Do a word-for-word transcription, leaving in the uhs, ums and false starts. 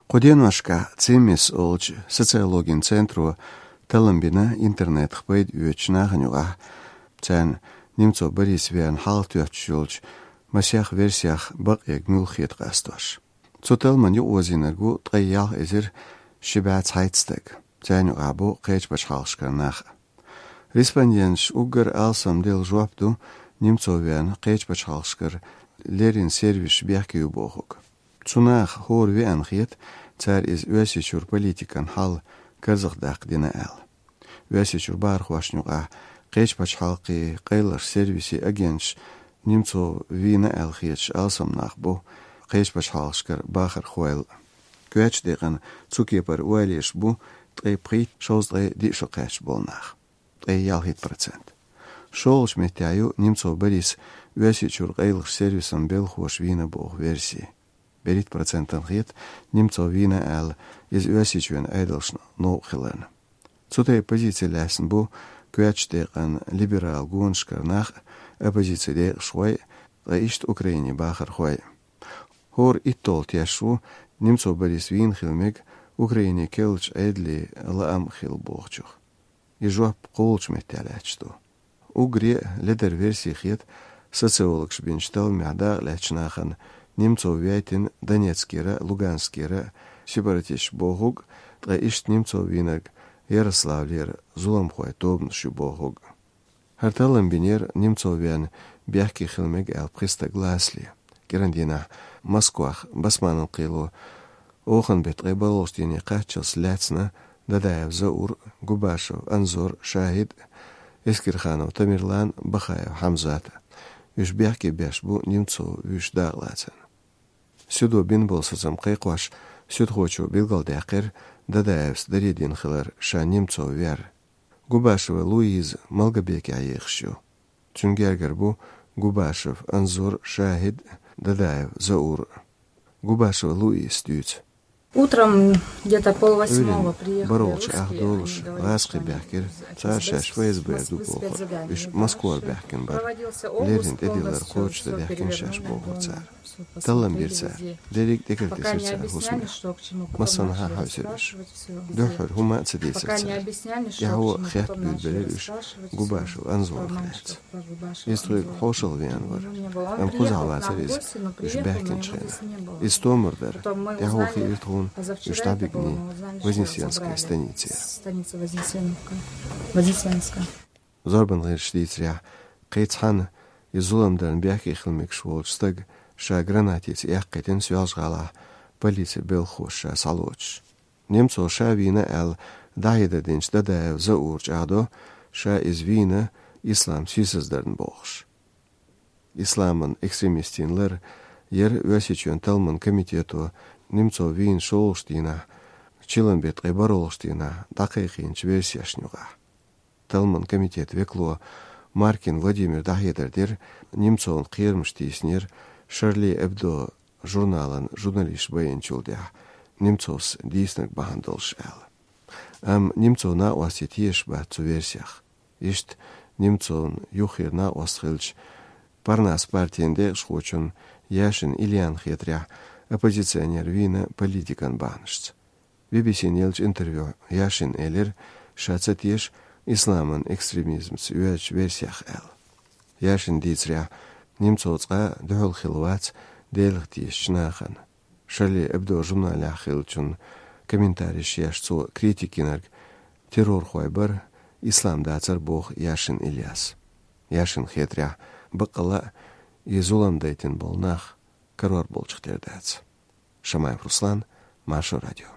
Кху деношкахь Цимис олучу социологин центро таллам бина интернетах пайда оьцучу нахана юкъахь, царна Немцов Борис верна хьалха тоьттуш йолчу масех версех бакъ ерг муьлха хета къастош. Цу талламан юкъаозийнарг ву ткъе ялх эзар ши бӀе цхьайтта стаг. Царна юкъахь бу кхечу пачхьалкхашкара нах. Респонденташа уггар алсам делла жоп ду Немцов верна кхечу пачхьалкхашкара леррина сервисаш бехке ю бохург. Цу наха хӀора веана хета, цара иза Оьрсийчуьра политикан хьал карзахдаккха дина аьлла. Оьрсийчуьра бахархошна юкъахь кхечу пачхьалкхийн къайлахчу сервисийн агенташ Немцов вийна аьлла хеташ алсам нах бу кхечу пачхьалкхашкара бахархойла. Коьртачу декъана цу кепара ойла еш бу ткъе пхийтта, шовзткъе диъ шо кхаьчна болу нах. Ткъе ялхитта процент. ШолгӀачу меттехь ю Немцов Борис Оьрсийчуьра къайлахчу сервисан белхахоша вийна боху верси. БерхӀитта процентана хета, Немцов вийна аьлла, иза Оьрсийчоьнан Ӏедалшна новкъа хиларна. Цу тайпа позици лаьцна бу коьртачу декъана либерал гонашкара нах а, оппозицин декъашхой а, ткъа иштта Украинин бахархой а. ХӀора итталгӀа теш ву Немцов Борис вийна хила мега Украинин керлачу Ӏедалийн лаам хилла бохучух. И жоп кхоалгӀачу меттехь лаьтташ ду. Уггаре а ледара верси хета социологаша бинчу талламехь дакъалаьцначу нахана Немцов вейтина Донецкера, Луганскера сепаратисташ бохург, ткъа иштта Немцов вийнарг Ярославлера зуламхойн тобанаш ю бохург. ХӀара таллам бинера Немцов верна бехке хила мега аьлла пхи стаг лацале. КӀиран дийнахь Москвахь Басманан кхело оханан беттан ткъе бархӀалгӀачу дийне кхаччалц лаьцна Дадаев Заур, Губашев Анзор, Шахид, Эскерханов Тамерлан, Бахаев Хьамзат. Уьш бехке беш бу Немцов вуьйш дакъалацарна. Суьдо бина болу сацам кхайкхош, суьдхочо билгалдаьккхира Дадаевс даре дина хилар ша Немцов вер. Губашева Луиза Малгобекехь ехаш ю. Цуьнан гергара бу Губашев Анзор, Шахид, Дадаев Заур. Губашева Луизас дуьйцу. Утром где-то пол восьмого приехали русские, они говорят, что они там... БархӀалгӀачу ах долуш гӀазкхий баьхкира цара шаьш ФСБ ду бохура. Уьш Москвара баьхкина бара. Леррина тӀедиллар кхочушдан даьхкина шаьш бохура цара. Таллам бира цара. Дерриг а тӀекхийтира цара хӀусамех. Массанхьа хьаьвсира уьш. Дуьххьара хӀума а ца дийцира цара. ТӀаьхьо хетта буьйлабелира уьш Губашев Анзорах лаьцна. Иза тхоьга хьошалгӀа веана вара. Амма кхузахь вацара иза уьш баьхкинчу хенахь. Иза томар дара. ТӀаьхьо хиира тхуна уьш дӀабигний Вознесенская станицера. Зорбан гӀирсаша дийцарехь, кхин цхьана и зулам дарна бехке хила мегаш волчу стага ша гранатица эккхийтина Соьлжа-ГӀалахь полицин белхахоша ша схьалоцуш. Немцов ша вийна аьлла дӀахьедар динчу Дадаев Заура чӀагӀдо, ша иза вийна ислам сийсаздарна бохуш. Исламан экстремистийн лар яра Оьрсийчоьнан талламан комитето Немцов вийна шолгӀачу дийнахь, чиллан беттан ткъе бархӀалгӀачу дийнахь дӀакхайкхийначу версешна юкъахь. Талламан комитетан векало Маркин Владимира дӀахьедар дира, Немцовна кхерамаш тийсинера Шарли Эбдо журналан журналисташ байинчул тӀаьхьа Немцовс дийцинарг бахьана долуш аьлла. Амма Немцовн накъостий тешаш бац цу версех. Иштта Немцовн юххера накъост хиллачу Парнас партин декъашхочун Яшин Ильян хетарехь, оппозиционер вийна политикан бахьанашца. Би-би-сина еллачу интервьюхь Яшина элира, ша ца теша исламан экстремизмца йоьдучу версех аьлла. Яшина дийцарехь, Немцов цкъа а дуьхьал хилла вац Делах тешачу нахана. Шарли Эбдо журналехь хиллачун комментареш еш цо критика йинарг террорхой бара, ислам дацара боху Яшин Ильяс. Яшина хетарехь, баккъалла а и зулам дайтина болу нах карор болчух тера дац. Шамаев Руслан, Маршо радио.